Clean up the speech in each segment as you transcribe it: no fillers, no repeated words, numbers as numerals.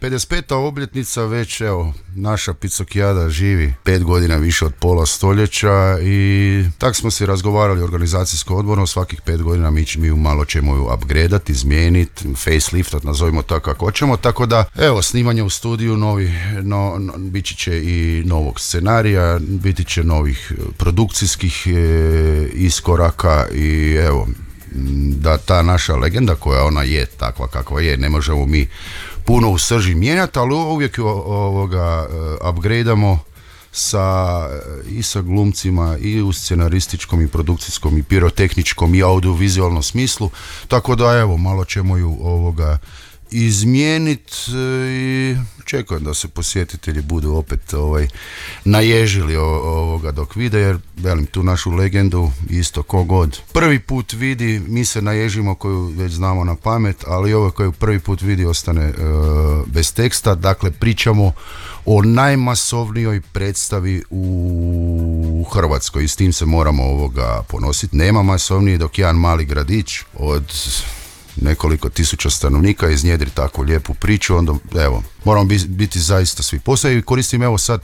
55. obljetnica već, evo, naša Picokijada živi 5 godina više od pola stoljeća i tak smo se razgovarali organizacijsko odborno, svakih 5 godina mi ju malo ćemo ju upgradeati, izmijeniti, faceliftat, nazovimo tako kako hoćemo, tako da, evo, snimanje u studiju, biti će i novog scenarija, biti će novih produkcijskih iskoraka i evo, da ta naša legenda koja ona je takva kakva je, ne možemo mi puno u srži mijenjati, ali uvijek ju upgradeamo i sa glumcima i u scenarističkom i produkcijskom i pirotehničkom i audiovizualnom smislu, tako da evo, malo ćemo ju izmijeniti i čekujem da se posjetitelji budu opet naježili dok vide, jer velim, tu našu legendu isto kogod prvi put vidi, mi se naježimo koju već znamo na pamet, ali ovo koju prvi put vidi ostane bez teksta. Dakle, pričamo o najmasovnijoj predstavi u Hrvatskoj i s tim se moramo ponositi. Nema masovniji dok jedan mali gradić od nekoliko tisuća stanovnika iznjedri takvu lijepu priču, onda evo, moramo biti zaista svi posao i koristim evo sad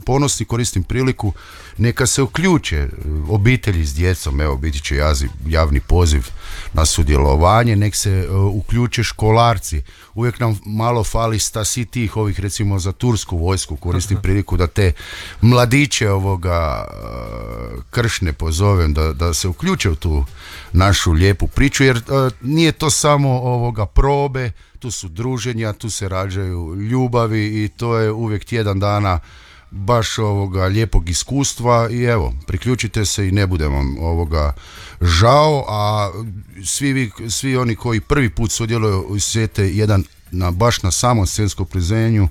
ponosni, koristim priliku, neka se uključe obitelji s djecom, evo biti će javni poziv na sudjelovanje, nek se uključe školarci, uvijek nam malo fali svi tih ovih, recimo za tursku vojsku, koristim priliku da te mladiće kršne pozovem da se uključe u tu našu lijepu priču, jer nije to samo probe, tu su druženja, tu se rađaju ljubavi i to je uvijek tjedan dana baš lijepog iskustva i evo, priključite se i ne bude vam žao, a svi oni koji prvi put sudjeluju osjete jedan baš na samom scenskom priznanju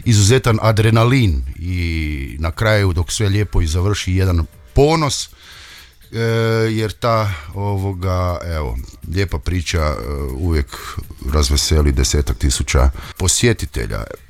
izuzetan adrenalin i na kraju dok sve lijepo i završi jedan ponos, jer ta lijepa priča uvijek razveseli 10.000 posjetitelja.